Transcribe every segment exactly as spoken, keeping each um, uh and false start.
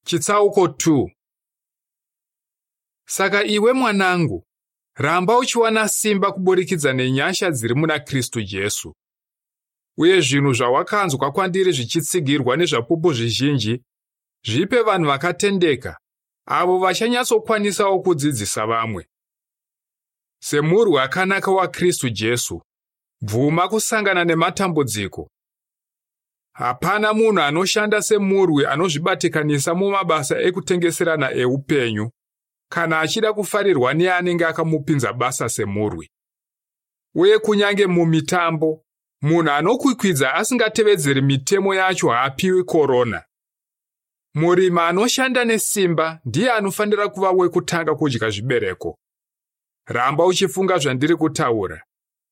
Chitsauko two. Saka iwe mwanangu, ramba uchiwana simba kuburikidza nenyasha dziri muna Kristu Jesu. Uye zvinhu zvawakanzwa kwandiri zvichitsigirwa nezvapupu zvizhinji, zvipe vanhu vakatendeka, avo vachanyatsokwanisawo kudzidzisa vamwe. Semurwi akanaka waKristu Jesu, bvuma kusangana nematambudziko. Hapana munhu anoshanda semurwi anozvibatikanisa mumabasa ekutengeserana eupenyu, kana achida kufarirwa neanenge akamupinza basa semurwi. Uye kunyange mumitambo, munhu anokwikwidza asingatevedzeri mitemo yacho haapiwi korona. Murimi anoshanda nesimba ndiye anofanira kuva wekutanga kudya zvibereko. Ramba uchifunga zvandiri kutaura.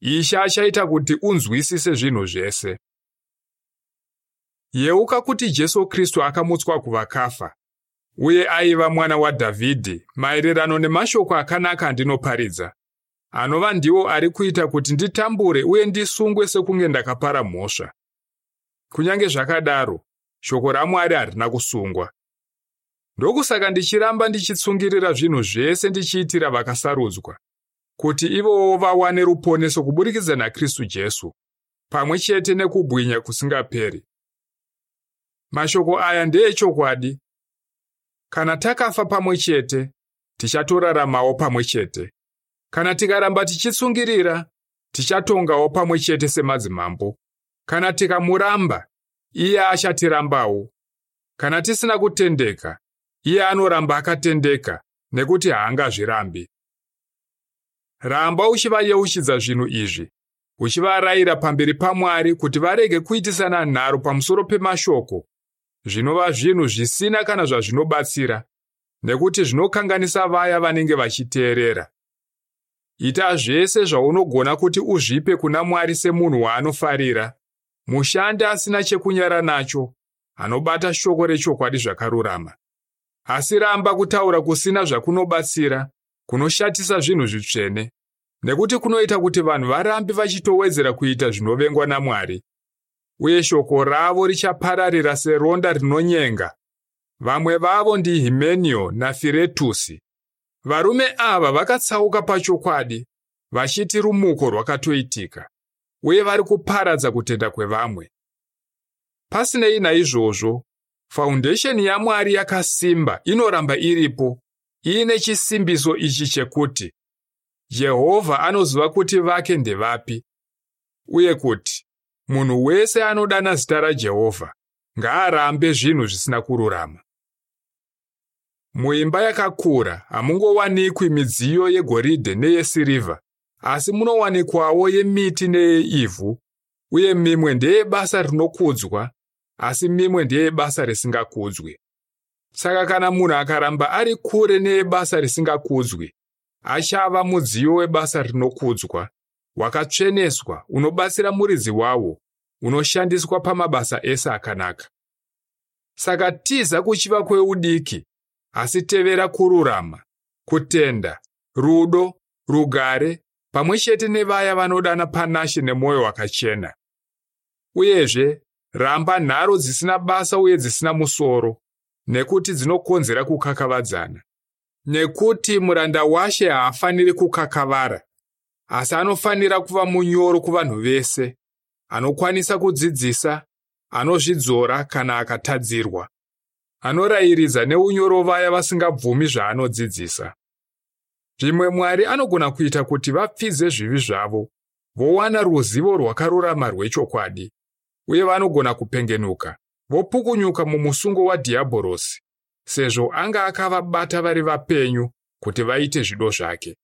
Ishe achaita kuti unzwisise zvinhu zvese. Yeuka kuti Jesu Kristu akamutswa kuvakafa, uye aiva mwana waDhavhidhi maererano nemashoko akanaka andinoparidza, anova ndiwo ari kuita kuti nditambure uye ndisungwe sekunge ndakapara mhosva. Kunyange zvakadaro, shoko raMwari harina kusungwa. Ndokusaka ndichiramba ndichitsungirira zvinhu zvese ndichiitira vakasarudzwa, kuti ivowo vawane ruponeso kuburikidza naKristu Jesu, pamwe chete nekubwinya kusingaperi. Mashoko aya ndeechokwadi. Kana takafa pamwe chete, tichatoraramawo pamwe chete. Kana tikaramba tichitsungirira, tichatongawo pamwe chete semadzimambo. Kana tikamuramba, iye achatirambawo. Kana tisina kutendeka, iye anoramba akatendeka, nekuti haangazvirambi. Ramba uchivayeuchidza zvinhu izvi, uchivarayira pamberi paMwari kuti varege kuitisana nharo pamusoro pemashoko, zvinova zvinhu zvisina kana zvazvinobatsira, nekuti zvinokanganisa vaya vanenge vachiteerera. Ita zvese zvaunogona kuti uzvipe kuna Mwari semunhu waanofarira, mushandi asina chekunyara nacho, anobata shoko rechokwadi zvakarurama. Asi ramba kutaura kusina zvakunobatsira, kunoshatisa zvinhu zvitsvene, nekuti kunoita kuti vanhu varambe vachitowedzera kuita zvinovengwa naMwari. Uye shoko ravo richapararira seronda rinonyenga. Vamwe vavo ndiHimenio naFiretusi. Varume ava vakatsauka pachokwadi, vachiti rumuko rwakatoitika, uye vari kuparadza kutenda kwevamwe. Pasinei naizvozvo, faundesheni yaMwari yakasimba inoramba iripo, iine chisimbiso ichi chekuti Jehovha anoziva kuti vake ndevapi, uye kuti munhu wese anodana zita raJehovha ngaarambe zvinhu zvisina kururama. Muimba yakakura hamungowanikwi midziyo yegoridhe neyesirivha, asi munowanikwawo yemiti neyeivhu, uye mimwe ndeyebasa rinokudzwa, asi mimwe ndeyebasa risingakudzwi. Saka kana munhu akaramba ari kure neyebasa risingakudzwi, achava mudziyo webasa rinokudzwa, wakatsveneswa, unobatsira muridzi wawo, unoshandiswa pamabasa ese akanaka. Saka tiza kuchiva kweudiki, asi tevera kururama, kutenda, rudo, rugare, pamwe chete nevaya vanodana panashe nemwoyo wakachena. Uyezve, ramba nharo dzisina basa uye dzisina musoro, nekuti dzinokonzera kukakavadzana. Nekuti muranda waShe haafaniri kukakavara, asi anofanira kuva munyoro kuvanhu vese, anokwanisa kudzidzisa, anozvidzora kana akatadzirwa, anorayiridza neunyoro vaya vasingabvumi zvaanodzidzisa. Zvimwe Mwari anogona kuita kuti vapfidze zvivi zvavo, vowana ruzivo rwakarurama rwechokwadi, uye vanogona kupengenuka, vopukunyuka mumusungo waDhiabhorosi, sezvo anga akavabata vari vapenyu kuti vaite zvido zvake.